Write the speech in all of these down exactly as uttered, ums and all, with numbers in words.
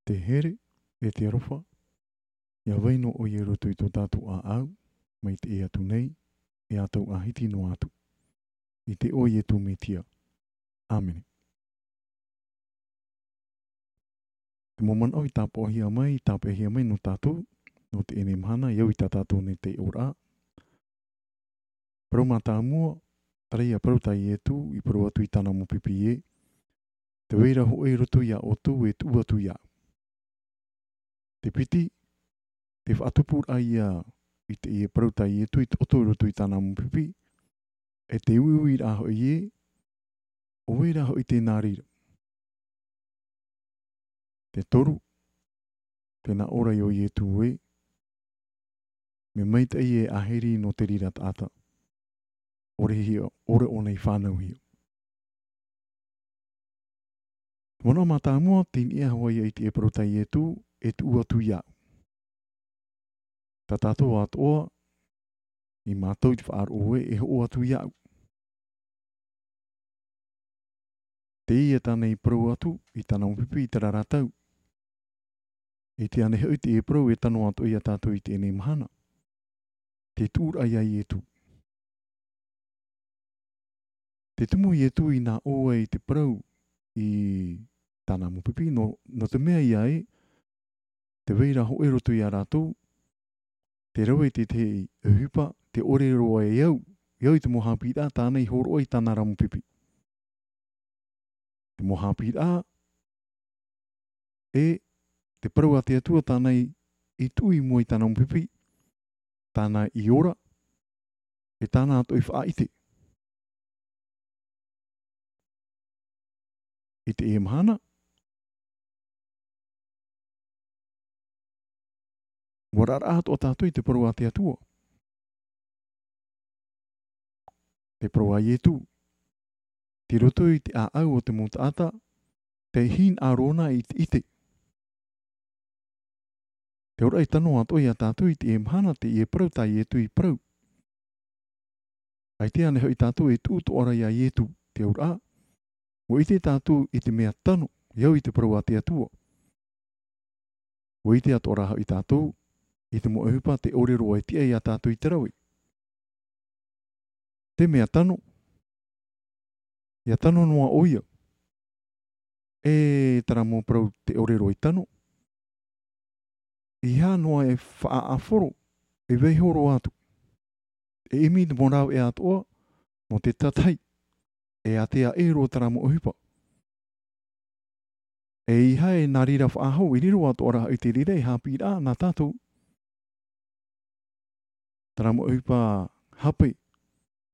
Te here, e te aroha, ia vai noa ʻoia i roto i tō tātou ʻāʻau, mai teie atu nei, e ʻātou ʻāhiti noa atu. I te iʻoa o Ietu Metia. ʻĀmene. Te mau manaʻo i tāpaʻohia mai, i tāpeʻahia mai nō tātou, nō teie mahana, i au i tā tātou nei taiʻoraʻa. Parau mātāmua, terā ia parau tā Ietu, i parau atu i tāna mau pipi ē, tē vai ra hoʻi i roto ia ʻoutou e tuʻu atu iāʻu. Te piti, te faʻatupuraʻa ia i teie parau tā Ietu i taʻoto i roto i tāna mau pipi, e te uiuiraʻa hoʻi ē, ʻo vai ra hoʻi tē nā reira. Te toru, tē nā ʻō ra ʻo Ietu ē, mea maitaʻi e ʻāhiri nō te reira taʻata. ʻOre hia, ʻore ʻōna i fānauhia. Te manaʻo mātāmua, tei niʻa hoʻi ia i teie parau tā Ietu, e tuʻu atu iāʻu. Tā tātou atoʻa, i mātau i te faʻaroʻo ē, e hoʻo atu iāʻu. Teie tāna i parau atu, i tāna mau pipi, i terā ra tau. E ʻite ānei hoʻi teie parau e tano atoʻa ia tātou i teie mahana. Te tuʻuraʻa ia Ietu. Te tumu Ietu i nā ʻō ai te parau i tāna mau pipi, nō, nō te mea ia ē, tē vai ra hoʻi i roto ia rātou, te rave i te tahi ʻohipa, tē ʻore roa e au, e au i te mau haʻapiʻiraʻa tāna i hōroʻa i tāna ra mau pipi. Te mau haʻapiʻiraʻa, e te parau a te Atua tāna i, i tuʻu i mua i tāna mau pipi, tāna i ora, e tāna atoʻa i faʻaʻite. I teie mahana, ʻua oraraʻa atoʻa tātou i te parau a te Atua. Te parau a Ietu. Tei roto i te ʻāʻau o te mau taʻata, tē hinaʻaro na i te ʻite. Te auraʻa i tano atoʻa ia tātou i teie mahana, teie parau tā Ietu i parau. ʻAita ānei hoʻi tātou e tuʻu atoʻa ra ia Ietu, te auraʻa, ʻua ʻite tātou i te mea tano, e au i te parau a te Atua. ʻUa ʻite atoʻa ra hoʻi tātou, i te mau ʻohipa tē ʻore roa e tiʻa ia tātou i te rave. Te mea tano, ʻia tano noa ʻoia. E terā mau parau tē ʻore roa i tano. ʻEiaha noa e faʻaʻāfaro, e vaiiho roa atu. E ʻimi te mau rāveʻa atoʻa, nō te tātahi, e ātea ʻē roa terā mau ʻohipa. ʻEiaha e nā reira faʻahou, i riro atoʻa ra i te reira e haʻapiʻiraʻa nā tātou. Terā mau ʻohipa hape,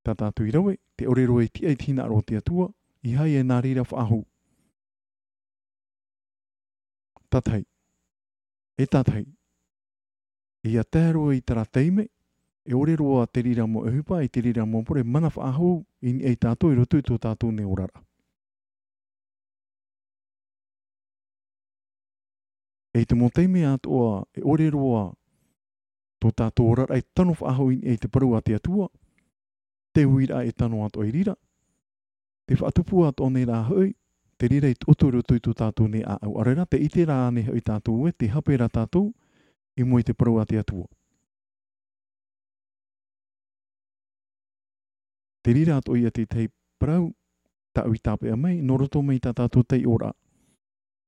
tā tātou i rave, tē ʻore roa e tiʻa i te hinaʻaro o te Atua, ʻeiaha e nā reira faʻahou. Tātahi. E tātahi. ʻIa tae roa i terā taime, e ʻore roa te reira mau ʻohipa, i te reira mau pure, mana faʻahou, i niʻa ia tātou, i roto i tō tātou nei oraraʻa. E i te mau taime atoʻa, e ʻore roa tō tātou oraraʻa e tano faʻahou i niʻa i te parau a te Atua, te uiraʻa e tano atoʻa i reira, te faʻatupu atoʻa nei rā hoʻi, te reira i taʻoto i roto i tō tātou nei ʻāʻau. ʻAore rā, tē ʻite ra ānei hoʻi tātou ē, tē hape ra tātou, i mua i te parau a te Atua. Te reira atoʻa ia te tahi parau, tāʻu i tāpeʻa mai, nō roto mai tā tātou taiʻoraʻa.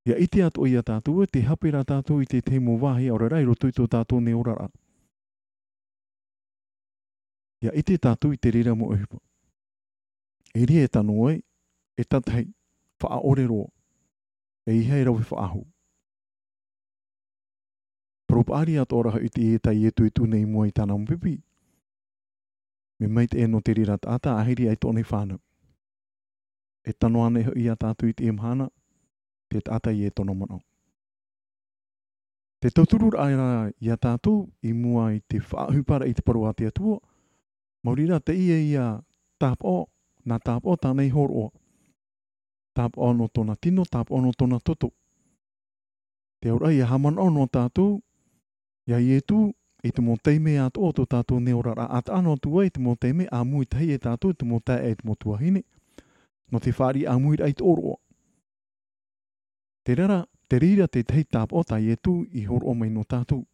ʻIa ʻite atoʻa ia tātou ē, tē hape ra tātou i te tahi mau vāhi ʻaore rā, i roto i tō tātou nei oraraʻa. ʻIa ʻite tātou i te reira mau ʻohipa. E reira e tano ai, e tātahi, faʻaʻore roa. ʻEiaha e rave faʻahou. Parau paʻari atoʻa ra hoʻi teie tā Ietu e tuʻu nei i mua i tāna mau pipi. Mea maitaʻi nō te reira taʻata, ʻāhiri ʻaita ʻōna i fānau. E tano ānei hoʻi ia tātou i teie mahana, te taʻata ïa e tōna manaʻo. Te tautururaʻa ia tātou i mua i te faʻaʻohiparaʻa i te parau a te Atua, maori rā teie ïa tāpaʻo, nā tāpaʻo tāna i hōroʻa. Tāpaʻo nō tōna tino, tāpaʻo nō tōna toto. Te auraʻa ʻia haʻamanaʻo noa tātou ia Ietu i te mau taime atoʻa o tō tātou nei oraraʻa, ʻa taʻa noa atu ai i te mau taime ʻāmui tahi e tātou, i te mau taeaʻe, i te mau tuahine, nō te fāriʻi ʻāmuiraʻa i te ʻōroʻa. Terā rā, Te reira te tahi tāpaʻo tā Ietu i horoʻa mai nō tātou.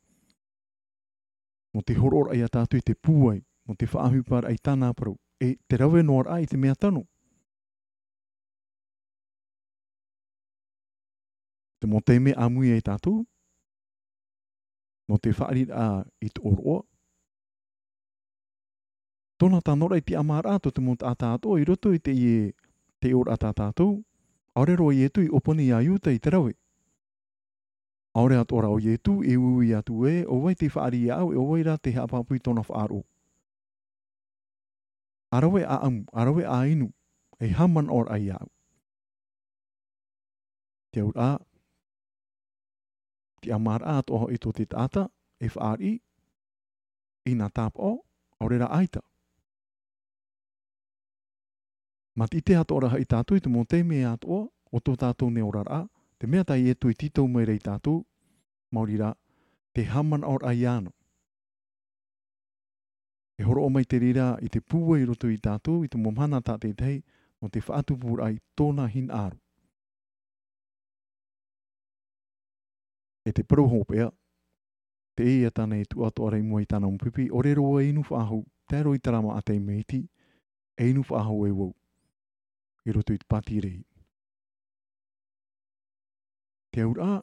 Nō te horoʻa ia tātou i te pūai, nō te faʻaʻohiparaʻa i tāna parau, e te rave noaraʻa i te mea tano. Te mau taime ʻāmui ai tātou, nō te faʻariraʻa i te ʻōroʻa. Tōna tanoraʻa i te ʻamaraʻa tō te mau taʻata atoʻa i roto i te ie, te ʻōroʻa tā tātou, ʻaore roa Ietu i ʻōpani ia Iuta i te rave. ʻAore atoʻa rā ʻo Ietu e uiui atu ē, ʻo vai te faʻari ia au, e ʻo vai rā te haʻapāpū i tōna faʻaroʻo. ʻA rave ʻa ʻamu, ʻa rave ʻa inu, e haʻamanaʻoraʻa ia au. Te auraʻa, te ʻamaraʻa atoʻa hoʻi tō te taʻata, e faʻariʻi, i nā tāpaʻo, ʻaore rā ʻaita. Mā te ʻite atoʻa rā hoʻi tātou i te mau taime atoʻa, o tō tātou nei oraraʻa, te mea tā Ietu i tītau mai ra ia tātou, maori rā, te haʻamanaʻoraʻa iāna. E horoʻa mai te reira i te pūai i roto ia tātou, i te mau mahana tātaʻitahi, nō te faʻatupuraʻa i tōna hinaʻaro. E te parau hopeʻa, teie tāna e tuʻu atoʻa ra i mua i tāna mau pipi, ʻaore roa e inu faʻahou, tae roa i terā māʻa taime iti, e inu faʻahou e vau, i roto i te pātirei. Te auraʻa,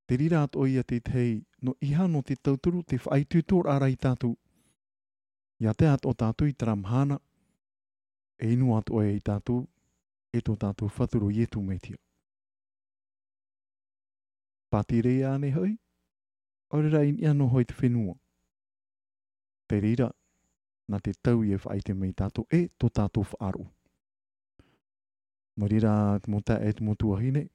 te reira atoʻa ia te tahi, nō ʻeiaha nō te tauturu, te faʻaitoitoraʻa ia tātou. Ia tae atoʻa tātou i terā mahana, e inu atoʻa ia tātou, e tō tātou Fatu ʻo Ietu Metia. Pātirei ānei hoʻi, ʻaore rā i niʻa noa hoʻi te fenua. Te reira, nā te tau ia e faʻaʻite mai ia tātou, e tō tātou faʻaroʻo. Nō reira, te mau taeaʻe, te mau tuahine,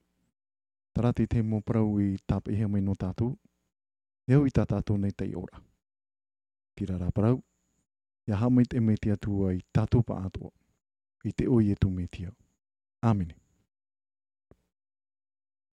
terā te tahi mau parau i tāpeʻahia mai nō tātou, e au i tā tātou nei taiʻoraʻa. Terā rā parau, ia haʻamaitaʻi mai te Atua ia tātou pāʻatoʻa, i te iʻoa o Ietu Metia. ʻĀmene.